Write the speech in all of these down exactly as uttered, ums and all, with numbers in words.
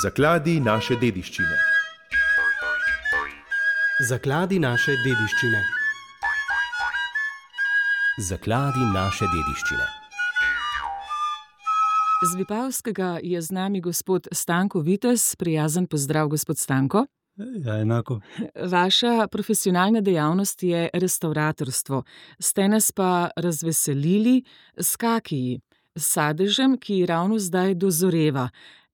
Zakladi naše dediščine. Zakladi naše dediščine. Zakladi naše dediščine. Z Vipavskega je z nami gospod Stanko Vitez. Prijazen pozdrav, gospod Stanko. Ja, enako. Vaša profesionalna dejavnost je restavratorstvo. Ste nas pa razveselili s kakiji, s sadežem, ki ravno zdaj dozoreva.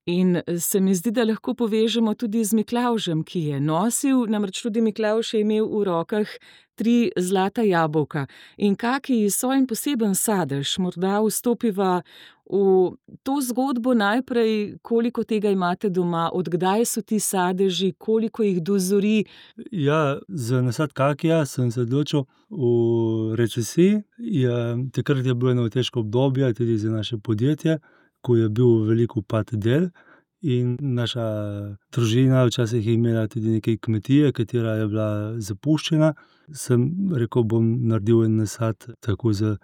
In se mi zdi, da lahko povežemo tudi z Miklavžem, ki je nosil, namreč tudi Miklavž je imel v rokah tri zlata jabolka. In kakiji so en poseben sadež. Morda vstopiva v to zgodbo najprej, koliko tega imate doma, od kdaj so ti sadeži, koliko jih dozori. Ja, za nasad kakija sem se odločil v recesiji. Ja, takrat je bilo eno težko obdobje, tudi za naše podjetje, ko je bil velik upad del in naša družina včasih je imela tudi nekaj kmetije, katera je bila zapuščena. Sem rekel, bom naredil en nasad tako za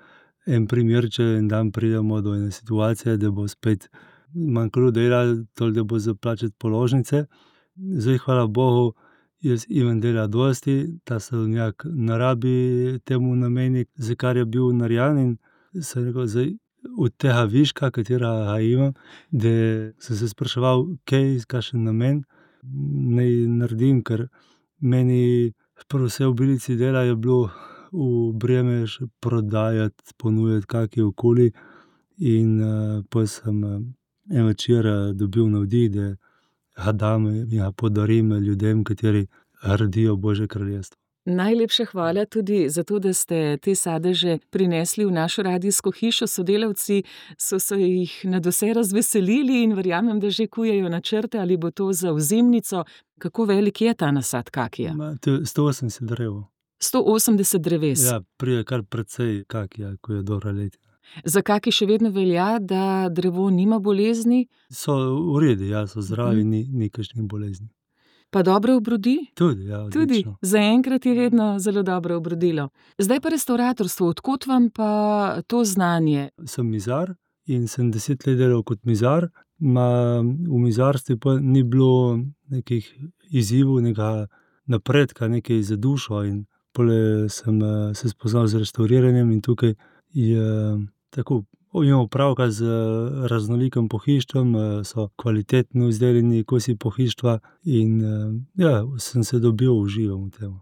en primer, če en dan pridemo do ene situacije, da bo spet manjkalo dela, toliko da bo za plačati položnice. Zdaj, hvala Bogu, jaz imam dela dosti, ta sadovnjak ne rabi temu nameniti, za kar je bil narejen, in sem rekel, zdaj od tega viška, katera ga imam, da sem se spraševal, kaj, kakšen namen naj naredim, ker meni prav vse obilici dela je bilo v breme še prodajati, ponujati kaki okoli. In uh, potem sem uh, en večer uh, dobil navdih, da ga dam in ga podarim ljudem, kateri gradijo Božje kraljestvo. Najlepša hvala tudi za to, da ste te sadeže prinesli v našo radijsko hišo. Sodelavci so se jih nadvse razveselili in verjamem, da že kujejo načrte, ali bo to za ozimnico. Kako velik je ta nasad kakija? Ma, to je sto osemdeset drev. sto osemdeset dreves. Ja, pride kar precej kakija, ko je dobra letina. Za kaki še vedno velja, da drevo nima bolezni? So v redu, ja, so zdravi, ni, ni kakšnih bolezni. Pa dobro obrodi? Tudi, ja, odlično. Tudi, zaenkrat je vedno zelo dobro obrodilo. Zdaj pa restavratorstvo, od kod vam pa to znanje? Sem mizar in sem deset let delal kot mizar. Ma, v mizarstvu pa ni bilo nekih izzivov, nekega napredka, nekaj za dušo, in pole sem se spoznal z restauriranjem in tukaj je tako, imamo opravka z raznolikim pohištvom, so kvalitetno izdelani kosi pohištva in ja, sem se dobil, uživam v tem.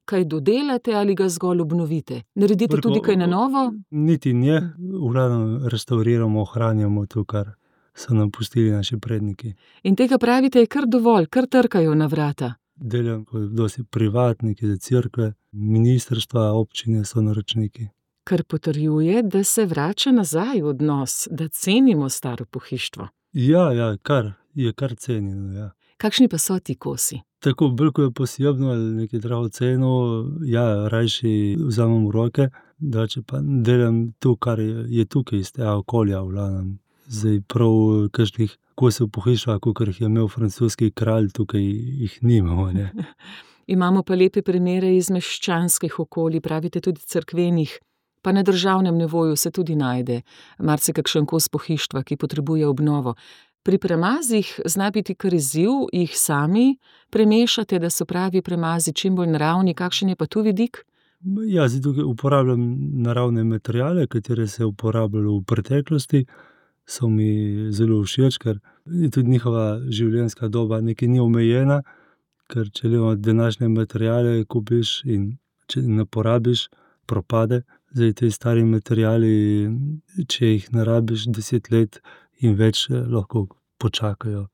Kaj dodelate ali ga zgolj obnovite? Naredite Preko, tudi kaj na novo? Niti ne, v glavnem restauriramo, ohranjamo to, kar so nam pustili naši predniki. In tega pravite je kar dovolj, kar trkajo na vrata. Delam dosti privatniki za cerkve, ministrstva, občine so naročniki. Kar potrjuje, da se vrača nazaj odnos, da cenimo staro pohištvo. Ja, ja, kar, je kar cenjeno, ja. Kakšni pa so ti kosi? Tako, bolj ko je posebno ali nekaj dragoceno, ja, rajši vzamem v roke, drugače pa delam to, kar je, je tukaj iz tega okolja, v glavnem. Zdaj prav kakšnih kosov pohištva, kakor jih je imel francoski kralj, tukaj jih nimamo, ne. Imamo pa lepe primere iz meščanskih okolij, pravite tudi cerkvenih. Pa na državnem nivoju se tudi najde marsikakšen kos pohištva, ki potrebuje obnovo. Pri premazih zna biti kar izziv, jih sami premešate, da so pravi premazi čim bolj naravni. Kakšen je pa tu vidik? Ja, zdaj tukaj uporabljam naravne materiale, katere se je uporabljalo v preteklosti. So mi zelo všeč, ker je tudi njihova življenjska doba nekaj ni omejena, ker če imamo današnje materiale, kupiš in če ne porabiš, propade. Zdaj, te stari materiali, če jih ne rabiš deset let in več, lahko počakajo.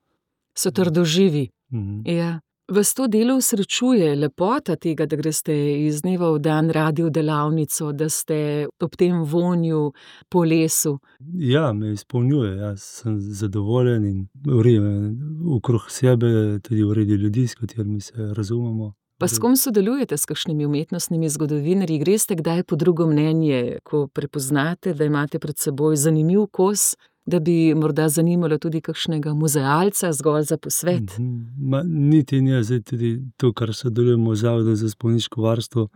So trdoživi. Mhm. Ja. Vas to delo usrečuje, lepota tega, da greste iz dneva v dan radi v delavnico, da ste ob tem vonju po lesu? Ja, me izpolnjuje, jaz sem zadovoljen in uredim okrog sebe, tudi uredim ljudi, s katerimi se razumemo. Pa s kom sodelujete, s kakšnimi umetnostnimi zgodovinarji? Greste kdaj po drugo mnenje, ko prepoznate, da imate pred seboj zanimiv kos, da bi morda zanimalo tudi kakšnega muzealca zgolj za posvet? Ma, niti ne, zdaj tudi to, kar sodelujemo z Zavodom za spomeniško varstvo,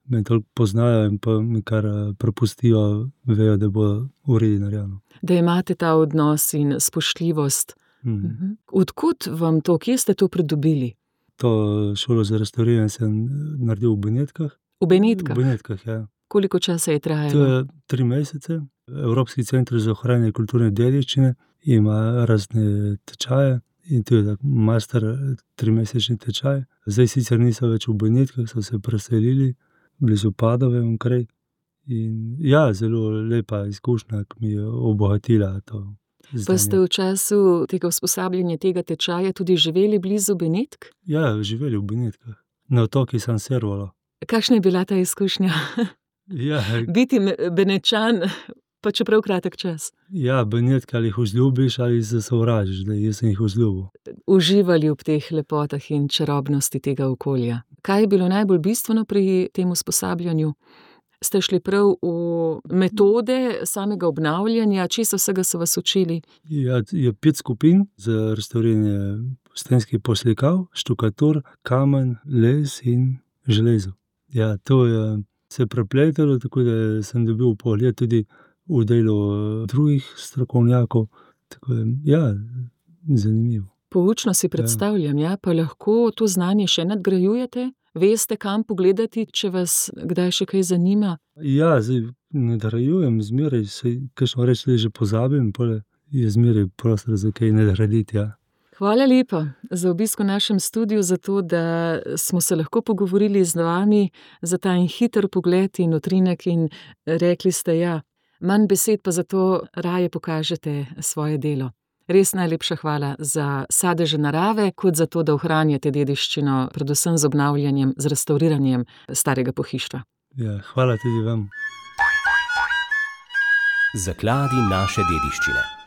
me toliko poznajo in pa mi kar prepustijo, vejo, da bo v redu narejeno. Da imate ta odnos in spoštljivost Mm. Odkud vam to, kje ste to pridobili? To šolo za restavriranje sem naredil v Benetkah. V Benetkah? V Benetkah, ja. Koliko časa je To trajalo? je tri mesece. Evropski center za ohranjanje kulturne dediščine ima razne tečaje in to je tak master trimesečni tečaj. Zdaj sicer niso več v Benetkah, so se preselili blizu Padove onkraj. In ja, zelo lepa izkušnja, ki mi je obogatila to Pa znanje. ste v času tega usposabljanja, tega tečaja tudi živeli blizu Benetk? Ja, živeli v Benetkah. Na otoki San Servolo. Kakšna je bila ta izkušnja? Ja, Biti me- Benečan, pa čeprav kratek čas. ja, Benetke ali jih vzljubiš ali se sovražiš, da jaz sem jih vzljubil. Uživali ob teh lepotah in čarobnosti tega okolja. Kaj je bilo najbolj bistveno pri tem usposabljanju? Ste šli prav v metode samega obnavljanja, česa vsega so vas učili? Ja, je pet skupin za restavriranje stenskih poslikav, štukatur, kamen, les in železo. Ja, to je se prepletalo, tako da sem dobil vpogled tudi v delo drugih strokovnjakov. Tako da, ja, zanimivo. Poučno si predstavljam, ja, pa lahko to znanje še nadgrajujete? Veste, kam pogledati, če vas kdaj še kaj zanima? Ja, zdaj nadgrajujem zmeraj, saj kakšno reč tudi že pozabim, pol je zmeraj prostor za kaj nadgraditi, ja. Hvala lepa za obisk v našem studiu, za to, da smo se lahko pogovorili z vami, za ta en hiter pogled in utrinek in rekli ste, ja, manj besed, pa zato raje pokažete svoje delo. Res najlepša hvala za sadeže narave, kot za to, da ohranjate dediščino, predvsem z obnavljanjem, z restavriranjem starega pohištva. Ja, hvala tudi vam. Zakladi naše dediščine.